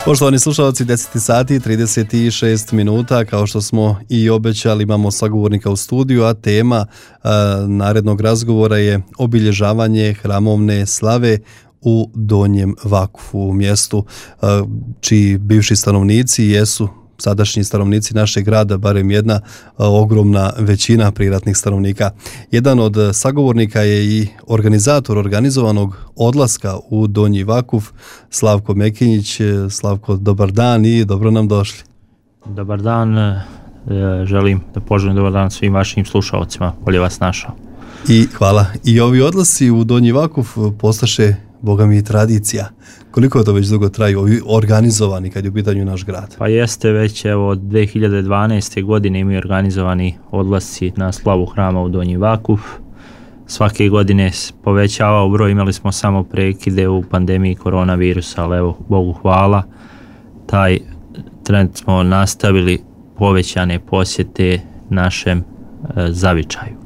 Poštovani slušalci, 10 sati i 36 minuta, kao što smo i obećali, imamo sagovornika u studiju, a tema narednog razgovora je obilježavanje hramovne slave u Donjem Vakufu, u mjestu čiji bivši stanovnici jesu sadašnji stanovnici našeg grada, barem jedna ogromna većina priratnih stanovnika. Jedan od sagovornika je i organizator organizovanog odlaska u Donji Vakuf, Slavko Mekinjić. Slavko, dobar dan i dobro nam došli. Dobar dan, želim da poželim dobar dan svim vašim slušalcima, bolje vas našao. I hvala. I ovi odlasci u Donji Vakuf postaše, boga mi, tradicija. Koliko to već dugo traju, ovi organizovani kad je u pitanju naš grad? Pa jeste, već od 2012. godine imaju organizovani odlasci na slavu hrama u Donji Vakuf. Svake godine povećavao broj, imali smo samo prekide u pandemiji koronavirusa, ali evo, Bogu hvala, taj trend smo nastavili, povećane posjete našem zavičaju.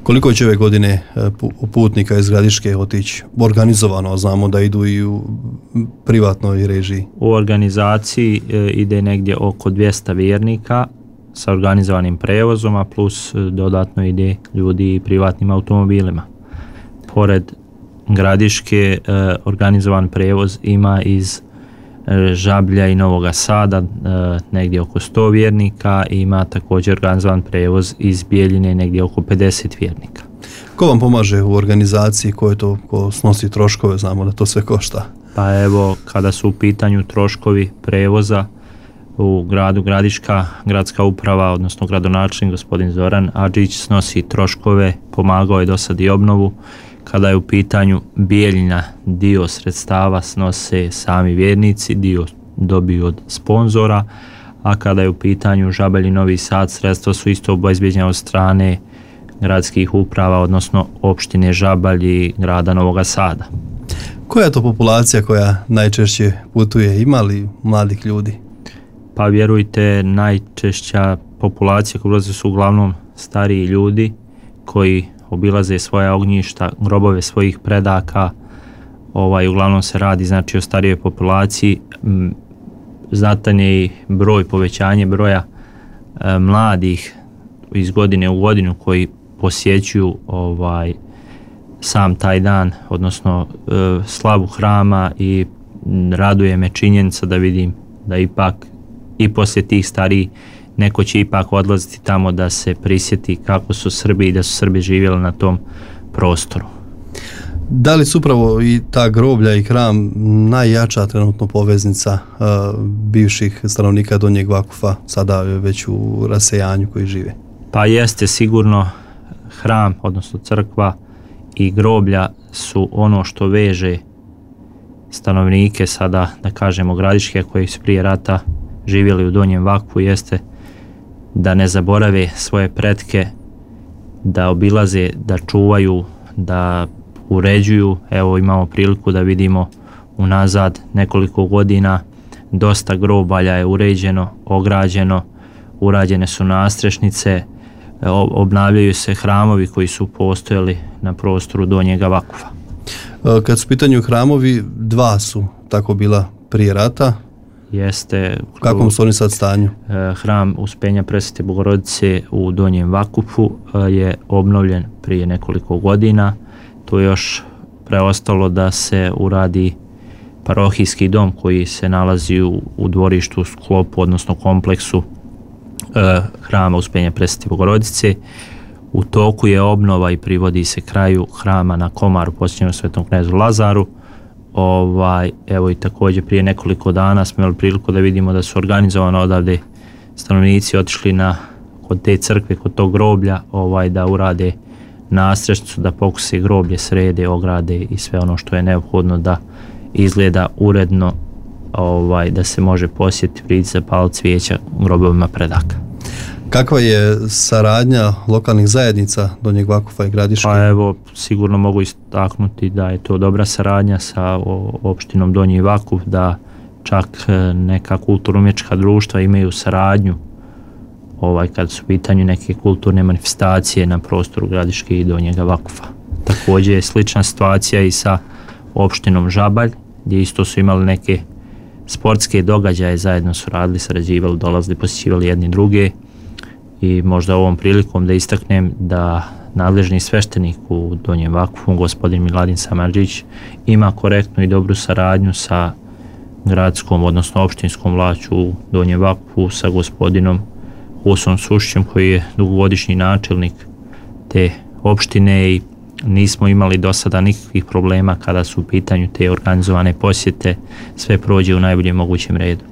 Koliko će ove godine putnika iz Gradiške otići organizovano, a znamo da idu i u privatnoj režiji? U organizaciji ide negdje oko 200 vjernika sa organizovanim prevozom, a plus dodatno ide ljudi i privatnim automobilima. Pored Gradiške organizovan prevoz ima iz Žablja i Novoga Sada, negdje oko 100 vjernika, i ima također organizovan prevoz iz Bijeljine, negdje oko 50 vjernika. Ko vam pomaže u organizaciji, ko snosi troškove, znamo da to sve košta? Pa evo, kada su u pitanju troškovi prevoza u gradu Gradiška, gradska uprava, odnosno gradonačelnik gospodin Zoran Adžić snosi troškove, pomagao je do sad i obnovu. Kada je u pitanju Bijeljina, dio sredstava snose sami vjernici, dio dobiju od sponzora, a kada je u pitanju Žabalj i Novi Sad, sredstva su isto obezbijeđena od strane gradskih uprava, odnosno opštine Žabalj i grada Novoga Sada. Koja je to populacija koja najčešće putuje? Ima li mladih ljudi? Pa vjerujte, najčešća populacija koja ulaze su uglavnom stariji ljudi koji obilaze svoja ognjišta, grobove svojih predaka. Uglavnom se radi znači o starijoj populaciji. Znatan je i povećanje broja mladih iz godine u godinu koji posjećuju sam taj dan, odnosno slavu hrama, i raduje me činjenica da vidim da ipak i poslije tih stariji neko će ipak odlaziti tamo da se prisjeti kako su Srbi i da su Srbi živjeli na tom prostoru. Da li su upravo i ta groblja i hram najjača trenutno poveznica bivših stanovnika Donjeg Vakufa, sada već u rasejanju, koji žive? Pa jeste, sigurno hram, odnosno crkva i groblja su ono što veže stanovnike sada, da kažemo, Gradiške, koji su prije rata živjeli u Donjem Vakufu, jeste da ne zaborave svoje pretke, da obilaze, da čuvaju, da uređuju. Evo, imamo priliku da vidimo unazad nekoliko godina dosta grobalja je uređeno, ograđeno, urađene su nastrešnice, obnavljaju se hramovi koji su postojali na prostoru Donjega Vakufa. Kad su u pitanju hramovi, dva su tako bila prije rata. Jeste. U kakvom su oni sad stanju? Hram Uspenja Presvete Bogorodice u Donjem Vakufu je obnovljen prije nekoliko godina. Tu je još preostalo da se uradi parohijski dom koji se nalazi u dvorištu u sklopu, odnosno kompleksu hrama Uspenja Presvete Bogorodice. U toku je obnova i privodi se kraju hrama na Komaru posvećenom Svetom knezu Lazaru. Evo, i također prije nekoliko dana smo imali priliku da vidimo da su organizovano odavde stanovnici otišli kod te crkve, kod tog groblja, da urade nastrešnicu, da pokuse groblje, srede, ograde i sve ono što je neophodno da izgleda uredno, da se može posjetiti, prići, zapaliti cvijeća grobovima predaka. Kakva je saradnja lokalnih zajednica Donjeg Vakufa i Gradiške? Pa evo, sigurno mogu istaknuti da je to dobra saradnja sa opštinom Donji Vakuf, da čak neka kulturno-umjetnička društva imaju saradnju kad su u pitanju neke kulturne manifestacije na prostoru Gradiške i Donjega Vakufa. Također je slična situacija i sa opštinom Žabalj, gdje isto su imali neke sportske događaje zajedno su radili, sarađivali, dolazili, posjećivali jedni druge i možda ovom prilikom da istaknem da nadležni sveštenik u Donjem Vakufu, gospodin Miladin Samardžić, ima korektnu i dobru saradnju sa gradskom, odnosno opštinskom vlašću u Donjem Vakufu, sa gospodinom Husom Sušićem koji je dugogodišnji načelnik te opštine i nismo imali do sada nikakvih problema kada su u pitanju te organizovane posjete, sve prođe u najboljem mogućem redu.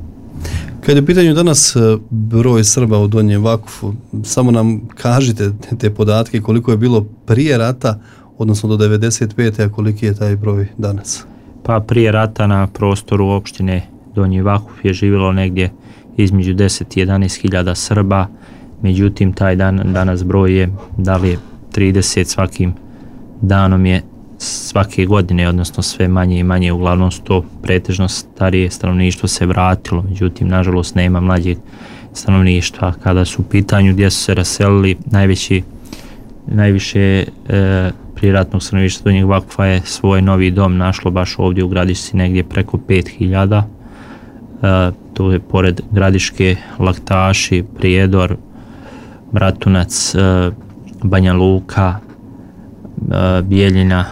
Kad je u pitanju danas broj Srba u Donjem Vakufu, samo nam kažite te podatke koliko je bilo prije rata, odnosno do 95. a koliki je taj broj danas? Pa prije rata na prostoru opštine Donji Vakuf je živjelo negdje između 10 i 11 hiljada Srba, međutim taj danas broj je, da li je 30, svakim danom je svake godine, odnosno sve manje i manje, uglavnom su to pretežno starije stanovništvo se vratilo, međutim nažalost nema mlađeg stanovništva. Kada su u pitanju gdje su se raselili, najviše prijeratnog stanovništva Donjeg Vakufa je svoj novi dom našlo baš ovdje u Gradišci, negdje preko 5000. To je pored Gradiške Laktaši, Prijedor, Bratunac, Banja Luka, Bijeljina,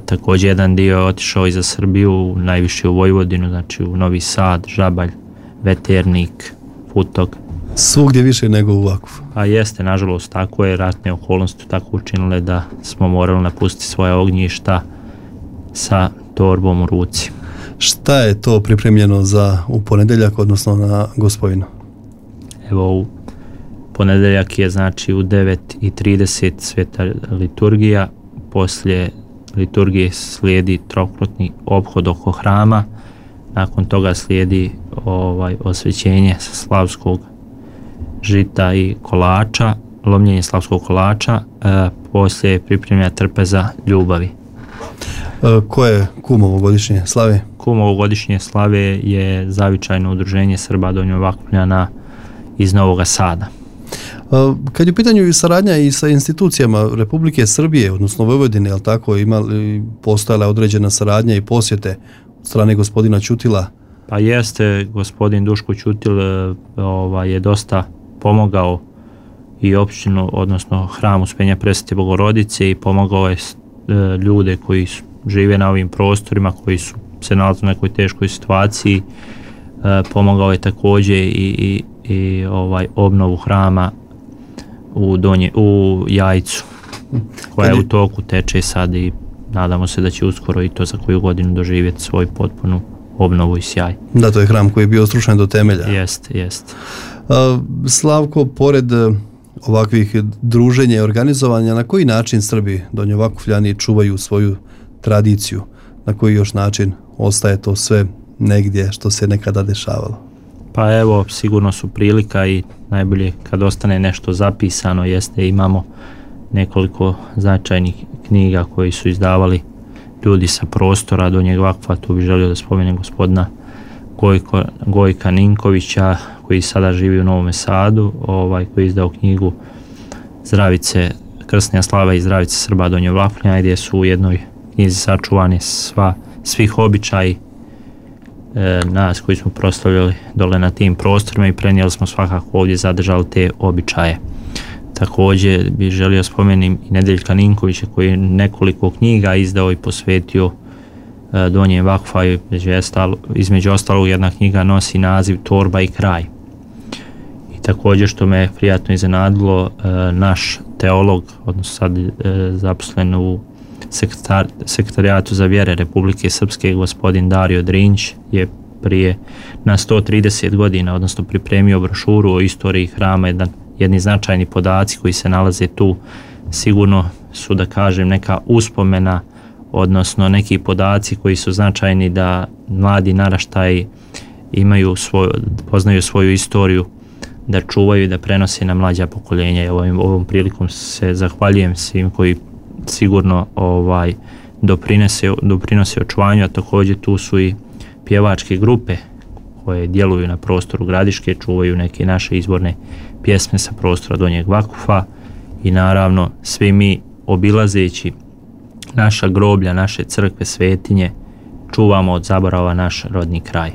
također jedan dio je otišao i za Srbiju, najviše u Vojvodinu, znači u Novi Sad, Žabalj, Veternik, Futog. Svugdje više nego u Vakufu. A jeste, nažalost, tako je, ratne okolnosti tako učinile da smo morali napustiti svoje ognjišta sa torbom u ruci. Šta je to pripremljeno za u ponedjeljak, odnosno na Gospojinu? Evo, u ponedjeljak je znači u 9:30 sveta liturgija, poslije liturgije slijedi trokrotni ophod oko hrama, nakon toga slijedi osvećenje slavskog žita i kolača, lomljenje slavskog kolača, poslije pripremlja trpeza ljubavi. Koje je kum ovogodišnje slave? Kum ovogodišnje slave je zavičajno udruženje Srba Donjovakufljana iz Novoga Sada. Kad je u pitanju saradnja i sa institucijama Republike Srbije, odnosno Vojvodine, je li tako, postojala određena saradnja i posjete od strane gospodina Ćutila? Pa jeste, gospodin Duško Ćutil je dosta pomogao i opštinu, odnosno hram Uspenja Presvete Bogorodice, i pomogao je ljude koji žive na ovim prostorima, koji su se nalaze u nekoj teškoj situaciji. Pomogao je također i obnovu hrama u Jajcu, koja je u toku, teče sad i nadamo se da će uskoro i to za koju godinu doživjeti svoju potpunu obnovu i sjaj. Da, to je hram koji je bio srušen do temelja. Jeste. Slavko, pored ovakvih druženja i organizovanja, na koji način Srbi Donjovakufljani čuvaju svoju tradiciju? Na koji još način ostaje to sve negdje što se nekada dešavalo? Pa evo, sigurno su prilika i najbolje kad ostane nešto zapisano jeste, imamo nekoliko značajnih knjiga koji su izdavali ljudi sa prostora Donjeg Vakufa. Tu bih želio da spomenem gospodina Gojka Ninkovića koji sada živi u Novom Sadu, koji je izdao knjigu Zdravice, Krsnja slava i Zdravice Srba Donjovakufljana, gdje su u jednoj knjizi sačuvani svih običaji nas koji smo proslavljali dole na tim prostorima i prenijeli smo svakako ovdje, zadržali te običaje. Također bih želio spomenim i Nedeljka Ninkovića koji je nekoliko knjiga izdao i posvetio Donjem Vakufa, i između ostalog jedna knjiga nosi naziv Torba i kraj. I također, što me prijatno iznenadilo, naš teolog, odnosno sad zaposlen u Sekretarijatu za vjere Republike Srpske, gospodin Dario Drinć, je prije na 130 godina, odnosno pripremio brošuru o istoriji hrama. Jedni značajni podaci koji se nalaze tu sigurno su, da kažem, neka uspomena, odnosno neki podaci koji su značajni da mladi naraštaji poznaju svoju istoriju, da čuvaju i da prenose na mlađa pokoljenja. Ovom prilikom se zahvaljujem svim koji sigurno doprinose očuvanju, a također tu su i pjevačke grupe koje djeluju na prostoru Gradiške, čuvaju neke naše izvorne pjesme sa prostora Donjeg Vakufa, i naravno svi mi obilazeći naša groblja, naše crkve, svetinje, čuvamo od zaborava naš rodni kraj.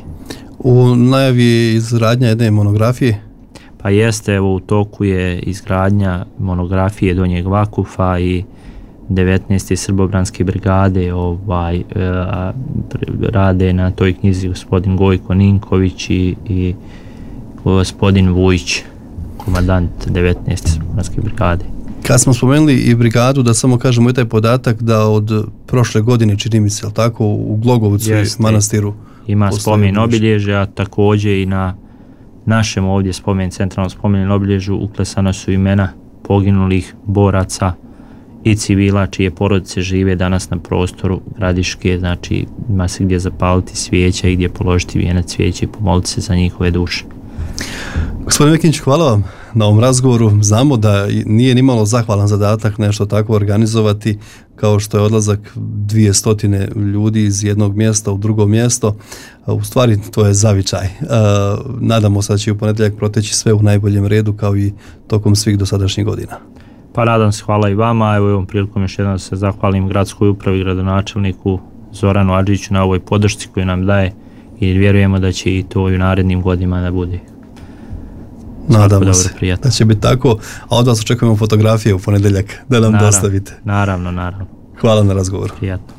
U najavi je izgradnja jedne monografije? Pa jeste, evo u toku je izgradnja monografije Donjeg Vakufa i 19. Srbobranske brigade rade na toj knjizi gospodin Gojko Ninković i gospodin Vujić, komandant 19. Srbobranske brigade. Kad smo spomenuli i brigadu, da samo kažemo i taj podatak da od prošle godine, čini mi se, jel tako, u Glogovcu i manastiru ima spomen obilježja, također i na našem ovdje centralnom spomenom obilježju uklesana su imena poginulih boraca i civila čije porodice žive danas na prostoru Gradiške, znači ima se gdje zapaliti svijeća i gdje položiti vijenac cvijeća i pomoliti se za njihove duše. Gospodin Mekinić, hvala vam na ovom razgovoru. Znamo da nije nimalo zahvalan zadatak nešto tako organizovati kao što je odlazak 200 ljudi iz jednog mjesta u drugo mjesto. U stvari to je zavičaj. Nadamo se da će u ponedjeljak proteći sve u najboljem redu kao i tokom svih dosadašnjih godina. Pa nadam se, hvala i vama. Evo ovom prilikom još jednom se zahvalim gradskoj upravi i gradonačelniku Zoranu Adžiću na ovoj podršci koju nam daje i vjerujemo da će i to i u narednim godinama da bude. Nadamo se da će biti tako, a od vas očekujemo fotografije u ponedjeljak da nam dostavite. Naravno. Hvala na razgovoru. Prijatno.